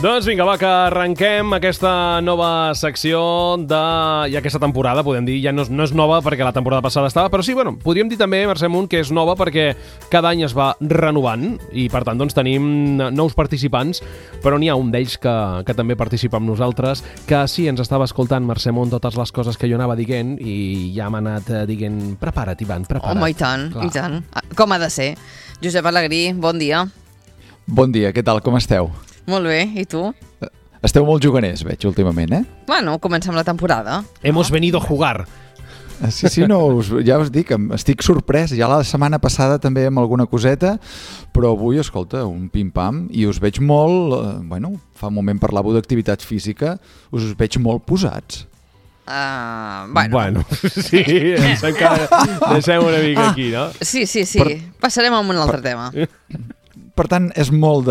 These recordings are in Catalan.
Doncs vinga, va, que arrenquem aquesta nova secció i aquesta temporada, podem dir, ja no és nova perquè la temporada passada estava, però sí, bueno, podríem dir també, Mercè Munt, que és nova perquè cada any es va renovant i per tant doncs tenim nous participants, però n'hi ha un d'ells que també participa amb nosaltres, que sí, ens estava escoltant, Mercè Munt, totes les coses que jo anava dient i ja m'ha anat dient, prepara't, Ivan, prepara't. Home, i tant, clar. I tant. Com ha de ser. Josep Alegrí, bon dia. Bon dia, què tal, com esteu? Molt bé, i tu? Esteu molt juganers, veig, últimament, Bueno, comencem la temporada. Hemos venido a jugar. Sí, no, ja us dic, estic sorprès. Ja la setmana passada també amb alguna coseta, però avui, escolta, un pim-pam, i us veig molt, fa un moment parlàveu d'activitat física, us veig molt posats. Bueno, sí, em sembla que deixem una mica aquí, no? Sí. Passarem a un altre tema. Per tant, és molt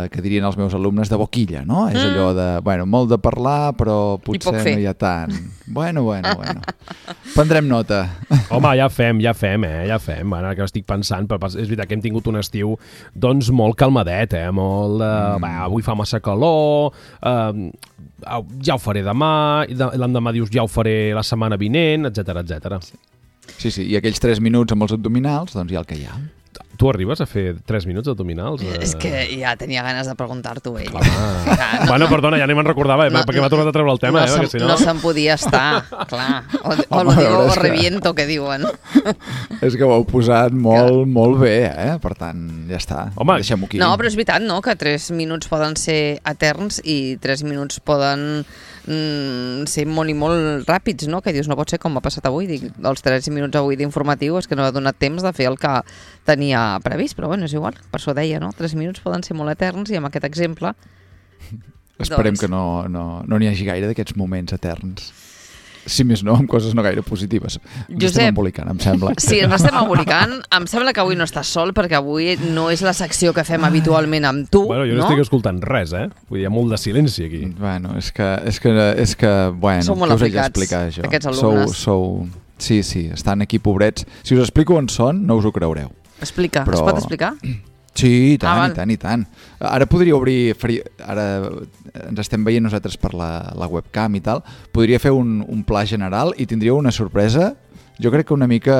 que dirien els meus alumnes, de boquilla, no? És allò de, molt de parlar, però potser no hi ha tant. Bueno. Prendrem nota. Home, ja fem. Ara que estic pensant, però és veritat que hem tingut un estiu doncs molt calmadet, molt avui fa massa calor, ja ho faré demà, l'endemà dius ja ho faré la setmana vinent, etcètera. Sí, i aquells 3 minuts amb els abdominals, doncs ja el que hi ha. Tu arribes a fer 3 minuts abdominals? És que ja tenia ganes de preguntar-t'ho ell. Bueno, perdona, ja ni me'n recordava, perquè m'ha tornat a treure el tema. No se'n podia estar, clar. O lo digo o reviento, que diuen. És que ho heu posat molt bé, per tant, ja està. Home, deixem-ho aquí. No, però és veritat, no?, que 3 minuts poden ser eterns i 3 minuts poden ser molt i molt ràpids, no? Que dius, no pot ser com m'ha passat avui. Dic, els 3 minuts avui d'informatiu és que no m'ha donat temps de fer el que tenia previst, però bueno, és igual, per això deia, no? 3 minuts poden ser molt eterns i amb aquest exemple... Esperem que no n'hi hagi gaire d'aquests moments eterns. Si més no, amb coses no gaire positives. Ens estem embolicant, em sembla. Sí, ens estem embolicant. Em sembla que avui no estàs sol, perquè avui no és la secció que fem habitualment amb tu, jo no estic escoltant res, Vull dir, hi ha molt de silenci aquí. Bueno, és que sou molt aplicats, aquests alumnes. Sí, estan aquí pobrets. Si us explico on són, no us ho creureu. Explica, es pot explicar? Sí, i tant. Ara podria obrir... Ara ens estem veient nosaltres per la webcam i tal. Podria fer un pla general i tindríeu una sorpresa, jo crec que una mica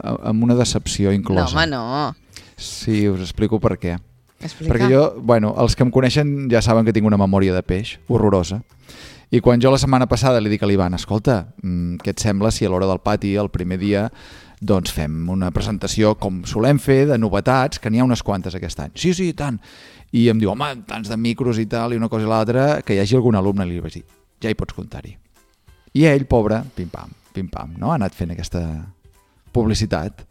amb una decepció inclosa. No, home, no. Sí, us explico per què. Explica. Perquè jo, els que em coneixen ja saben que tinc una memòria de peix horrorosa. I quan jo la setmana passada li dic a l'Ivan, escolta, què et sembla si a l'hora del pati, el primer dia, doncs fem una presentació com solem fer, de novetats, que n'hi ha unes quantes aquest any. Sí, i tant. I em diu, home, tants de micros i tal, i una cosa i l'altra, que hi hagi algun alumne, li vaig dir, ja hi pots comptar-hi. I ell, pobre, pim-pam, no? Ha anat fent aquesta publicitat.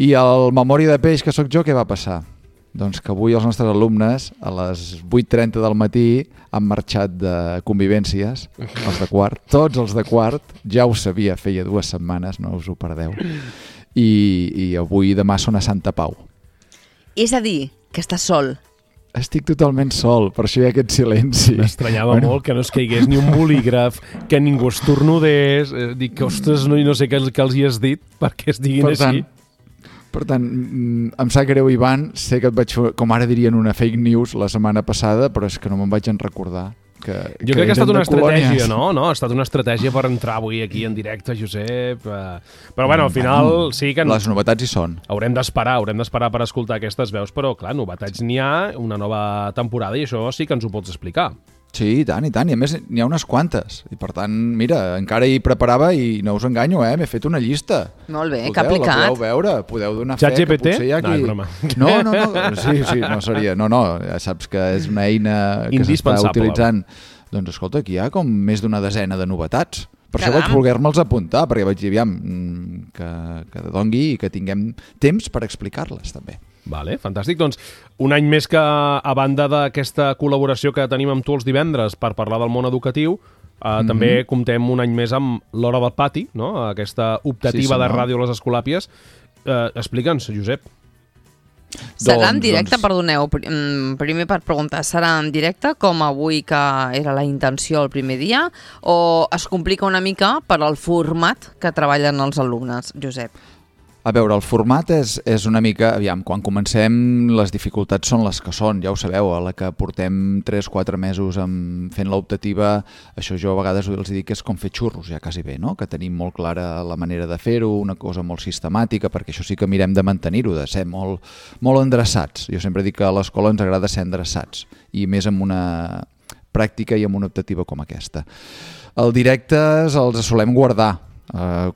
I el memòria de peix que sóc jo, què va passar? Doncs que avui els nostres alumnes a les 8:30 del matí han marxat de convivències, els de quart, tots els de quart, ja ho sabia, feia 2 setmanes, no us ho perdeu, i avui demà són a Santa Pau. És a dir, que estàs sol. Estic totalment sol, per això hi ha aquest silenci. M'estranyava molt que no es caigués ni un bolígraf, que ningú estornudés, dic que, ostres, no sé què els hi has dit perquè es diguin així. Per tant, em sap greu, Ivan, sé que et vaig fer, com ara dirien, una fake news la setmana passada, però és que no me'n vaig en recordar. Jo crec que ha estat una estratègia, no? Ha estat una estratègia per entrar avui aquí en directe, Josep. Però bueno, al final sí que... Les novetats hi són. Haurem d'esperar per escoltar aquestes veus, però clar, novetats n'hi ha, una nova temporada, i això sí que ens ho pots explicar. Sí, i tant, i a més n'hi ha unes quantes, i per tant, mira, encara hi preparava i no us enganyo, m'he fet una llista. Molt bé, que aplicat. La podeu veure, podeu donar fe que potser hi ha aquí... No, no seria, ja saps que és una eina que s'està utilitzant. Doncs escolta, aquí hi ha com més d'una desena de novetats. Per això vaig voler-me'ls apuntar, perquè vaig dir, aviam, que dongui i que tinguem temps per explicar-les també. Vale, fantàstic. Doncs un any més que, a banda d'aquesta col·laboració que tenim amb tu els divendres per parlar del món educatiu, també comptem un any més amb l'Hora del Pati, no? Aquesta optativa de ràdio a les Escolàpies. Explica'ns, Josep. Serà en directe, perdoneu, primer per preguntar, serà en directe com avui que era la intenció el primer dia o es complica una mica per al format que treballen els alumnes, Josep? A veure, el format és una mica... Aviam, quan comencem les dificultats són les que són, ja ho sabeu, a la que portem 3-4 mesos fent l'optativa, això jo a vegades els dic que és com fer xurros, ja quasi bé, no? Que tenim molt clara la manera de fer-ho, una cosa molt sistemàtica, perquè això sí que mirem de mantenir-ho, de ser molt, molt endreçats. Jo sempre dic que a l'escola ens agrada ser endreçats, i més amb una pràctica i amb una optativa com aquesta. Els directes els solem guardar,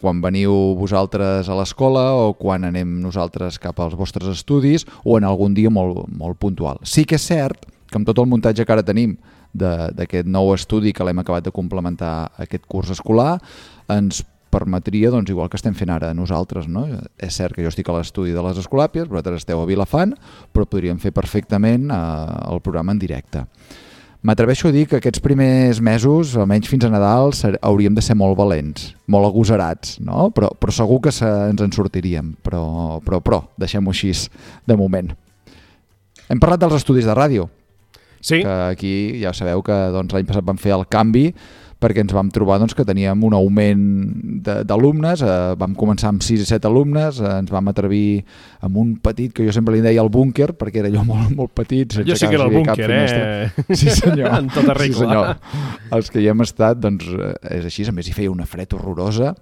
quan veniu vosaltres a l'escola o quan anem nosaltres cap als vostres estudis o en algun dia molt, molt puntual. Sí que és cert que amb tot el muntatge que ara tenim d'aquest nou estudi que l'hem acabat de complementar aquest curs escolar, ens permetria, doncs, igual que estem fent ara nosaltres, no? És cert que jo estic a l'estudi de les Escolàpies, vosaltres esteu a Vilafant, però podríem fer perfectament el programa en directe. M'atreveixo a dir que aquests primers mesos, almenys fins a Nadal, hauríem de ser molt valents, molt agosarats, no? Però segur que ens en sortiríem, però deixem-ho així de moment. Hem parlat dels estudis de ràdio, sí. Que aquí ja sabeu que doncs, l'any passat vam fer el canvi perquè ens vam trobar doncs, que teníem un augment d'alumnes, vam començar amb 6 i 7 alumnes, ens vam atrevir amb un petit, que jo sempre li deia el búnquer, perquè era jo molt, molt petit. Jo sí que era el búnquer, Sí, senyor. En tota regla. Sí, senyor. Els que hi hem estat, doncs, és així, a més hi feia una fred horrorosa,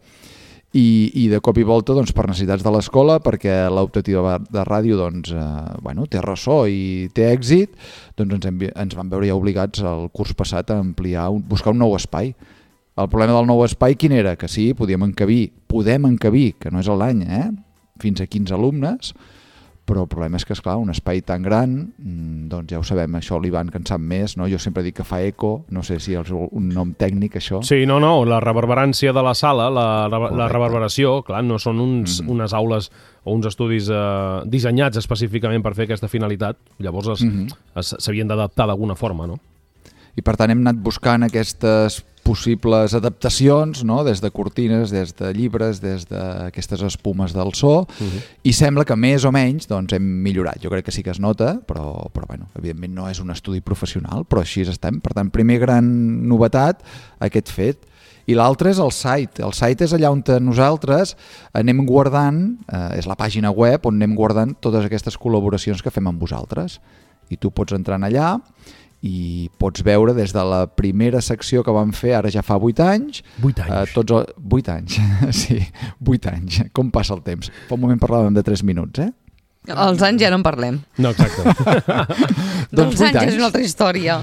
i de cop i volta doncs, per necessitats de l'escola, perquè l'optativa de ràdio doncs, té ressò i té èxit, doncs ens vam veure ja obligats el curs passat a ampliar, buscar un nou espai. El problema del nou espai quin era? Que sí, podem encabir, que no és l'any, fins a 15 alumnes, però el problema és que, esclar, un espai tan gran, doncs ja ho sabem, això l'Ivan que en sap més, no? Jo sempre dic que fa eco, no sé si és un nom tècnic, això. Sí, no, la reverberància de la sala, la reverberació, clar, no són unes aules o uns estudis dissenyats específicament per fer aquesta finalitat, llavors s'havien d'adaptar d'alguna forma, no? I per tant hem anat buscant aquestes possibles adaptacions, no? Des de cortines, des de llibres, des d'aquestes espumes del so, i sembla que més o menys doncs, hem millorat. Jo crec que sí que es nota, però bueno, evidentment no és un estudi professional, però així estem. Per tant, primer gran novetat, aquest fet. I l'altre és el site. El site és allà on nosaltres anem guardant, és la pàgina web on anem guardant totes aquestes col·laboracions que fem amb vosaltres. I tu pots entrar allà i pots veure des de la primera secció que vam fer, ara ja fa 8 anys. 8 anys? 8 anys, sí, 8 anys. Com passa el temps? Fa un moment parlàvem de 3 minuts, Els anys ja no en parlem. No, exacte. Doncs 8 anys és una altra història.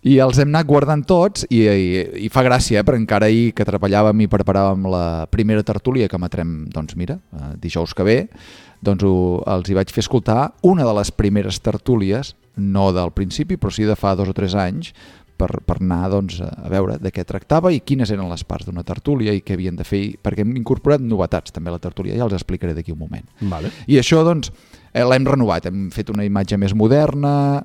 I els hem anat guardant tots i fa gràcia, perquè encara ahir que treballàvem i preparàvem la primera tertúlia que emetrem, doncs mira, dijous que ve, doncs els hi vaig fer escoltar una de les primeres tertúlies, no del principi, però sí de fa 2 o 3 anys, per anar doncs, a veure de què tractava i quines eren les parts d'una tertúlia i què havien de fer, perquè hem incorporat novetats també a la tertúlia, ja els explicaré d'aquí un moment. Vale. I això doncs l'hem renovat, hem fet una imatge més moderna,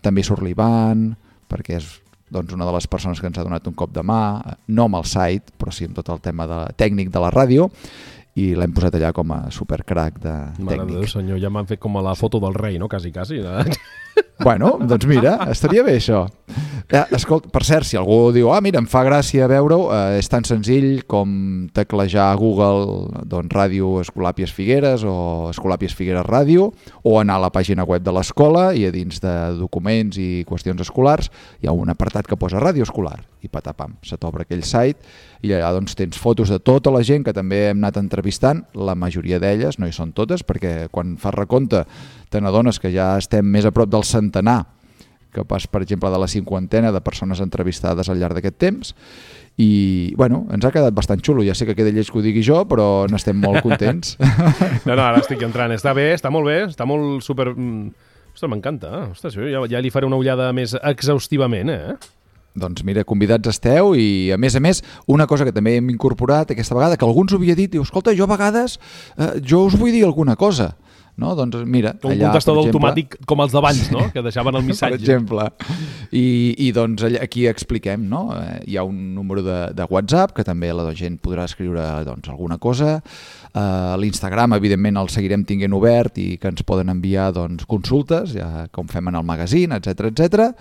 també surt l'Ivan, perquè és doncs, una de les persones que ens ha donat un cop de mà, no amb el site, però sí amb tot el tema tècnic de la ràdio, i l'hem posat allà com a supercrac de tècnic. Mare de Déu, senyor, ja m'han fet com a la foto del rei, no? Quasi. Bueno, doncs mira, estaria bé això. Escolta, per cert, si algú diu mira, em fa gràcia veure-ho, és tan senzill com teclejar a Google doncs, Ràdio Escolàpies Figueres o Escolàpies Figueres Ràdio, o anar a la pàgina web de l'escola i a dins de documents i qüestions escolars hi ha un apartat que posa Ràdio Escolar i patapam, se t'obre aquell site i allà doncs, tens fotos de tota la gent que també hem anat entrevistant, la majoria d'elles, no hi són totes, perquè quan fas recompte te n'adones que ja estem més a prop del centenar que pas, per exemple, de la 50ena de persones entrevistades al llarg d'aquest temps. I, bueno, ens ha quedat bastant xulo. Ja sé que queda lleig que ho digui jo, però n'estem molt contents. No, ara estic entrant. Està bé, està molt bé, està molt super... Ostres, m'encanta. Ostres, ja li faré una ullada més exhaustivament, Doncs mira, convidats esteu i, a més, una cosa que també hem incorporat aquesta vegada, que algú ens ho havia dit, diu, escolta, jo a vegades jo us vull dir alguna cosa. No? Doncs mira, un allà, contestador automàtic com els d'abans, no? Que deixaven el missatge. Per exemple. I doncs aquí expliquem, no? Hi ha un número de WhatsApp que també la gent podrà escriure doncs, alguna cosa. L'Instagram, evidentment, el seguirem tinguent obert i que ens poden enviar doncs, consultes, ja com fem en el magazine, etc etc.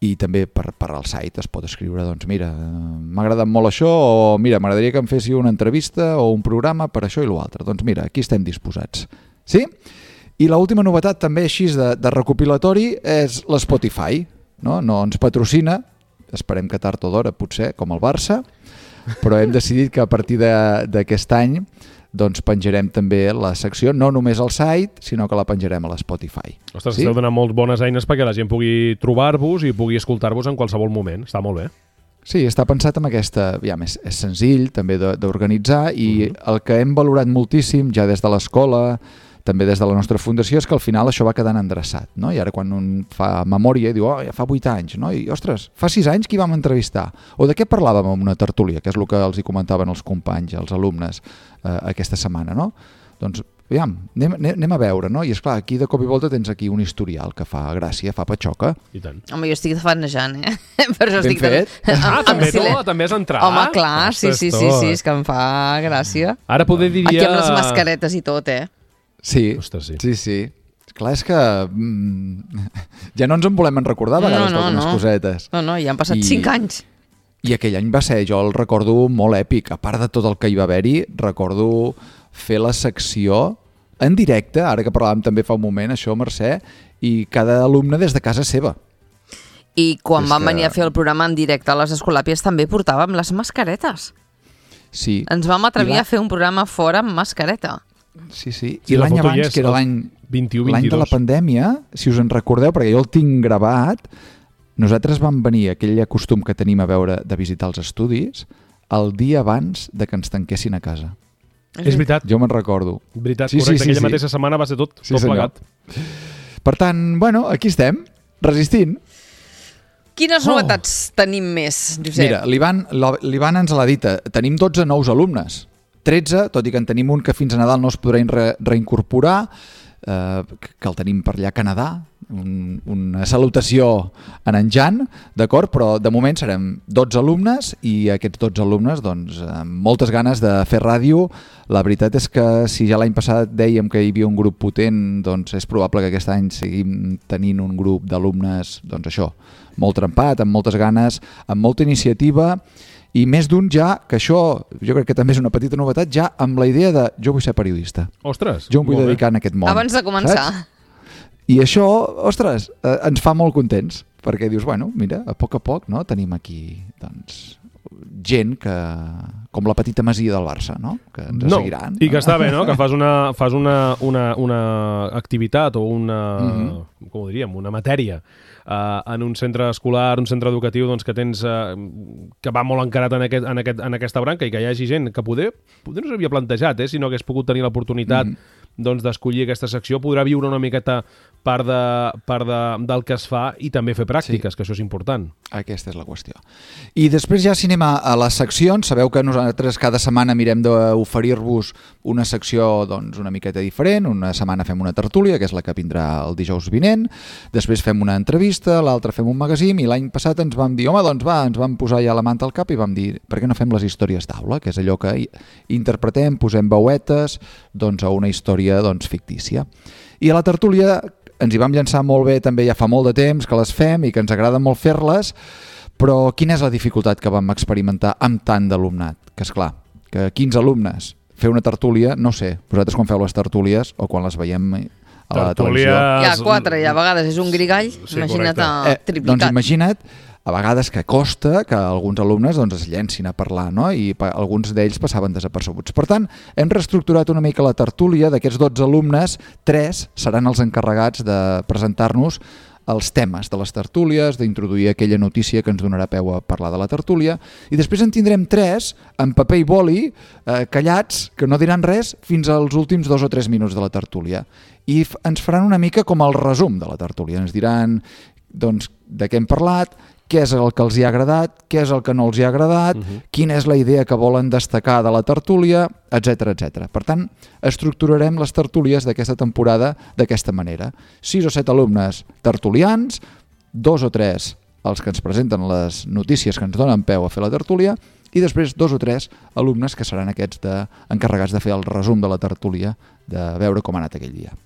i també per al site es pot escriure, doncs mira, m'ha agradat molt això, o mira, m'agradaria que em féssiu una entrevista o un programa per això i l'altre. Doncs mira, aquí estem disposats. Sí? I l'última novetat també així de recopilatori és l'Spotify. No ens patrocina, esperem que tard o d'hora potser, com el Barça, però hem decidit que a partir d'aquest any doncs penjarem també la secció, no només al site, sinó que la penjarem a l'Spotify. Ostres, esteu donant molt bones eines perquè la gent pugui trobar-vos i pugui escoltar-vos en qualsevol moment. Està molt bé. Sí, està pensat amb aquesta... És senzill també d'organitzar i el que hem valorat moltíssim ja des de l'escola, també des de la nostra fundació, és que al final això va quedant endreçat, no? I ara quan un fa memòria i diu, ja fa 8 anys, no? I, ostres, fa 6 anys qui vam entrevistar? O de què parlàvem en una tertúlia, que és el que els hi comentaven els companys, els alumnes, aquesta setmana, no? Doncs, anem a veure, no? I esclar, aquí de cop i volta tens aquí un historial que fa gràcia, fa patxoca. I tant. Home, jo estic fanejant, Per això ben fet. També has entrat? Home, clar, sí, és que em fa gràcia. Ara poder diria... Aquí amb les mascaretes i tot, Sí, ostres, sí. Clar, és que ja no ens en volem recordar a vegades d'algunes cosetes. No, ja han passat 5 anys. I aquell any va ser, jo el recordo molt èpic. A part de tot el que hi va haver-hi, recordo fer la secció en directe, ara que parlàvem també fa un moment, això, Mercè, i cada alumne des de casa seva. I quan vam venir a fer el programa en directe a les Escolàpies també portàvem les mascaretes. Sí. Ens vam atrevir a fer un programa fora amb mascareta. Sí. I l'any abans, que era l'any 21-22, l'any de la pandèmia, si us en recordeu, perquè jo el tinc gravat, nosaltres vam venir, aquell costum que tenim a veure de visitar els estudis, el dia abans de que ens tanquessin a casa. És veritat. Jo me'n recordo. Veritat, correcte. Aquella mateixa setmana va ser tot plegat. Per tant, bueno, aquí estem, resistint. Quines novetats tenim més, Josep? Mira, l'Ivan ens l'ha dit, tenim 12 nous alumnes. 13, tot i que en tenim un que fins a Nadal no es podrà reincorporar, que el tenim per allà a Canadà, una salutació en Jan, d'acord? Però de moment serem 12 alumnes i aquests 12 alumnes, doncs, amb moltes ganes de fer ràdio. La veritat és que si ja l'any passat dèiem que hi havia un grup potent, doncs és probable que aquest any seguim tenint un grup d'alumnes, doncs això, molt trempat, amb moltes ganes, amb molta iniciativa. I més d'un ja, que això jo crec que també és una petita novetat, ja amb la idea de jo vull ser periodista. Ostres, jo em vull dedicar a aquest món. Abans de començar. Saps? I això, ostres, ens fa molt contents, perquè dius, bueno, mira, a poc, no? Tenim aquí, doncs, gent que, com la petita masia del Barça, no? Que ens seguiran. I que està bé, no? Que fas una activitat o una, com ho diríem, una matèria en un centre escolar, un centre educatiu, doncs, que tens que va molt encarat en aquesta branca i que hi hagi gent que poder no s'havia plantejat, si no hagués pogut tenir l'oportunitat doncs, d'escollir aquesta secció, podrà viure una miqueta part del que es fa i també fer pràctiques, que això és important. Aquesta és la qüestió. I després ja si anem a les seccions, sabeu que nosaltres cada setmana mirem d'oferir-vos una secció doncs, una miqueta diferent. Una setmana fem una tertúlia, que és la que vindrà el dijous vinent, després fem una entrevista, l'altra fem un magazín, i l'any passat ens vam dir, home, doncs va, ens vam posar ja la manta al cap i vam dir, per què no fem les històries d'aula, que és allò que interpretem, posem veuetes doncs, a una història doncs, fictícia. I a la tertúlia ens hi vam llançar molt bé, també ja fa molt de temps que les fem i que ens agrada molt fer-les, però quina és la dificultat que vam experimentar amb tant d'alumnat? Que esclar, que 15 alumnes, fer una tertúlia, no sé, vosaltres quan feu les tertúlies o quan les veiem a la televisió... Hi ha 4 i a vegades és un grigall, imagina't triplicat. Doncs imagina't a vegades que costa que alguns alumnes doncs, es llencin a parlar, no? I alguns d'ells passaven desapercebuts. Per tant, hem reestructurat una mica la tertúlia. D'aquests 12 alumnes, 3 seran els encarregats de presentar-nos els temes de les tertúlies, d'introduir aquella notícia que ens donarà peu a parlar de la tertúlia, i després en tindrem 3 amb paper i boli, callats, que no diran res fins als últims 2 o 3 minuts de la tertúlia. I ens faran una mica com el resum de la tertúlia. Ens diran doncs, de què hem parlat, què és el que els hi ha agradat, què és el que no els hi ha agradat, quina és la idea que volen destacar de la tertúlia, etc etc. Per tant, estructurarem les tertúlies d'aquesta temporada d'aquesta manera. 6 o 7 alumnes tertulians, 2 o 3 els que ens presenten les notícies que ens donen peu a fer la tertúlia, i després 2 o 3 alumnes que seran aquests encarregats de fer el resum de la tertúlia, de veure com ha anat aquell dia.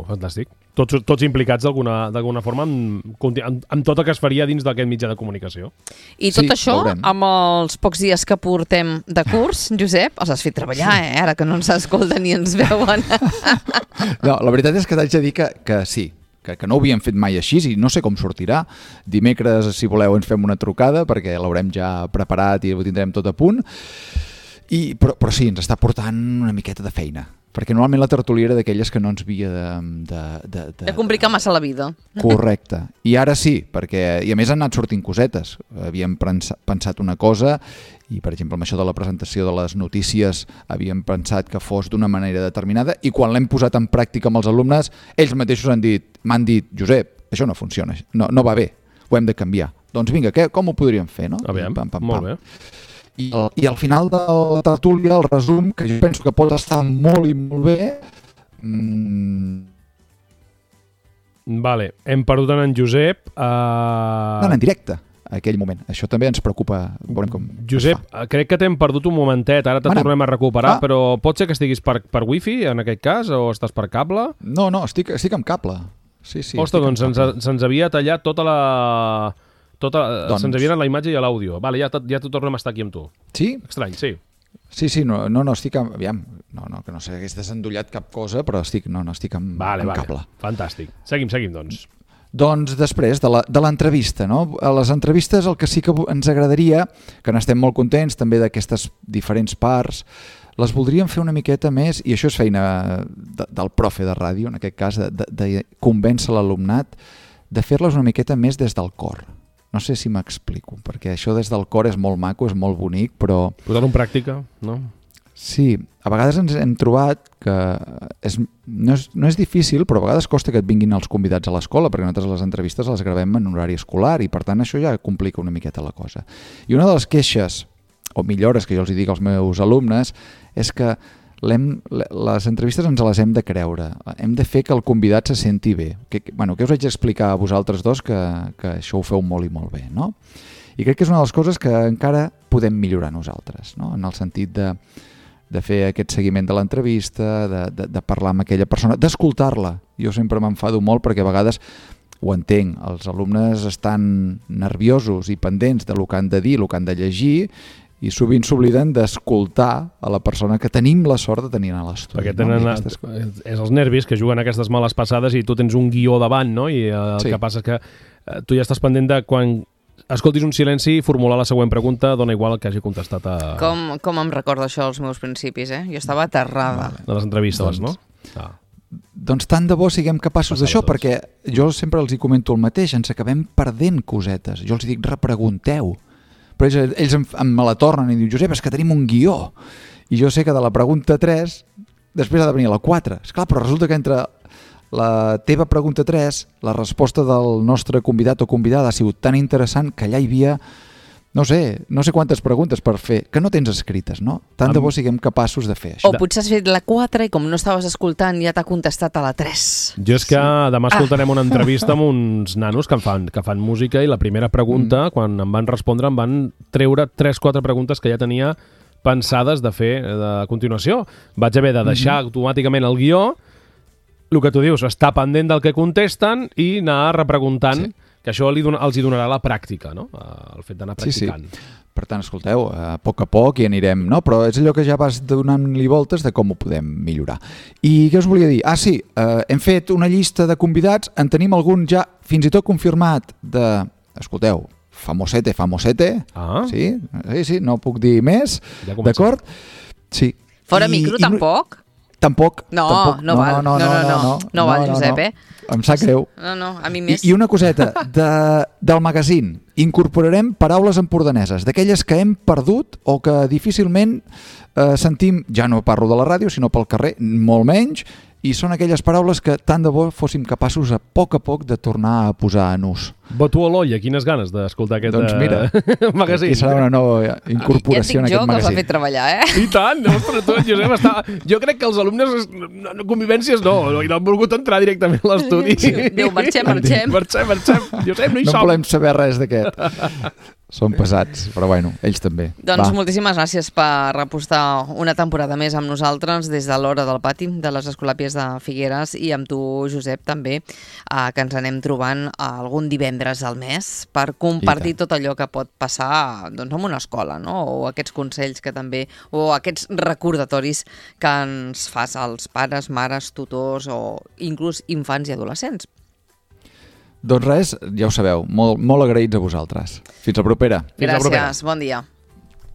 Fantàstic. Tots implicats d'alguna forma amb tot el que es faria dins d'aquest mitjà de comunicació. I tot això, amb els pocs dies que portem de curs, Josep, els has fet treballar, ara que no ens escolten ni ens veuen. No, la veritat és que t'haig de dir que sí, que no ho havíem fet mai així i no sé com sortirà. Dimecres, si voleu, ens fem una trucada perquè l'haurem ja preparat i ho tindrem tot a punt. Però sí, ens està portant una miqueta de feina, perquè normalment la tertúlia era d'aquelles que no ens havia de complicar massa la vida. Correcte. I ara sí, i a més han anat sortint cosetes. Havíem pensat una cosa i, per exemple, amb això de la presentació de les notícies havíem pensat que fos d'una manera determinada i quan l'hem posat en pràctica amb els alumnes, ells mateixos m'han dit, Josep, això no funciona, no va bé, ho hem de canviar. Doncs vinga, com ho podríem fer, no? Aviam, molt bé. I al final de la tertúlia, el resum, que jo penso que pot estar molt i molt bé... Vale, hem perdut en Josep. En directe, a aquell moment. Això també ens preocupa. Veurem com Josep, crec que t'hem perdut un momentet, ara te tornem a recuperar, però pot ser que estiguis per wifi, en aquest cas, o estàs per cable? No, estic amb cable. Sí, ostres, doncs se'ns havia tallat tota la... se'ns havia anat la imatge i l'àudio. Vale, ja t'ho tornem a estar aquí amb tu. Sí? Estrany, sí. Sí, no, estic amb... Aviam, no, que no s'hagués desendollat cap cosa, però estic amb cable. Fantàstic. Seguim, doncs. Doncs després de l'entrevista, no? A les entrevistes el que sí que ens agradaria, que n'estem molt contents també d'aquestes diferents parts, les voldríem fer una miqueta més, i això és feina del profe de ràdio, en aquest cas, de convèncer l'alumnat, de fer-les una miqueta més des del cor. No sé si m'explico, perquè això des del cor és molt maco, és molt bonic, però... Posar-ho en pràctica, no? Sí, a vegades ens hem trobat que no és difícil, però a vegades costa que et vinguin els convidats a l'escola, perquè nosaltres les entrevistes les gravem en horari escolar i per tant això ja complica una miqueta la cosa. I una de les queixes, o millores que jo els dic als meus alumnes, és que les entrevistes ens les hem de creure, hem de fer que el convidat se senti bé, que us vaig explicar a vosaltres dos que això ho feu molt i molt bé, no? I crec que és una de les coses que encara podem millorar nosaltres, no? En el sentit de fer aquest seguiment de l'entrevista, de parlar amb aquella persona, d'escoltar-la. Jo sempre m'enfado molt perquè a vegades ho entenc, els alumnes estan nerviosos i pendents del que han de dir, el que han de llegir, i sovint s'obliden d'escoltar a la persona que tenim la sort de tenir a l'estudi. Perquè tenen és els nervis que juguen aquestes males passades i tu tens un guió davant, no? I el que passa és que tu ja estàs pendent de quan escoltis un silenci i formular la següent pregunta, dona igual el que hagi contestat a... Com em recorda això als meus principis, Jo estava aterrada. De les entrevistes, no? Doncs tant de bo siguem capaços d'això, perquè jo sempre els hi comento el mateix, ens acabem perdent cosetes. Jo els dic, repregunteu. Però ells me la tornen i diuen, Josep, és que tenim un guió. I jo sé que de la pregunta 3, després ha de venir la 4. Esclar, però resulta que entre la teva pregunta 3, la resposta del nostre convidat o convidada ha sigut tan interessant que allà hi havia, no sé quantes preguntes per fer, que no tens escrites, no? Tant de bo siguem capaços de fer això. O potser has fet la 4 i com no estaves escoltant ja t'ha contestat a la 3. Jo és que demà escoltarem una entrevista amb uns nanos que fan música i la primera pregunta, quan em van respondre, em van treure 3-4 preguntes que ja tenia pensades de fer a continuació. Vaig haver de deixar automàticament el guió, el que tu dius, estar pendent del que contesten i anar repreguntant, que això els hi donarà la pràctica, no? El fet d'anar practicant. Sí. Per tant, escolteu, a poc hi anirem, no? Però és allò que ja vas donant-li voltes de com ho podem millorar. I què us volia dir? Sí, hem fet una llista de convidats, en tenim algun ja fins i tot confirmat escolteu, famosete. Sí, no puc dir més, d'acord? Sí. Fora micro, tampoc? Tampoc. No val, Josep, Em sap greu. No, a mi més. I una coseta, del magazín, incorporarem paraules empordaneses, d'aquelles que hem perdut o que difícilment sentim, ja no parlo de la ràdio, sinó pel carrer, molt menys, i són aquelles paraules que tant de bo fóssim capaços a poc de tornar a posar en ús. Voto a l'olla, quines ganes d'escoltar aquest magazín. Aquí serà una nova incorporació en aquest magazín. Ja et dic jo que els ha fet treballar, I tant, ostres, tu, Josep, jo crec que els alumnes, convivències no han volgut entrar directament a l'estudi. Diu, marxem. Josep, no hi som. No volem saber res d'aquest. Són pesats, però bueno, ells també. Doncs moltíssimes gràcies per repostar una temporada més amb nosaltres des de l'Hora del Pati de les Escolàpies de Figueres i amb tu, Josep, també, que ens anem trobant algun divendres al mes per compartir tot allò que pot passar doncs, en una escola, no? O aquests consells que també, o aquests recordatoris que ens fas als pares, mares, tutors o inclús infants i adolescents. Doncs res, ja ho sabeu, molt agraïts a vosaltres. Fins la propera. Gràcies, bon dia.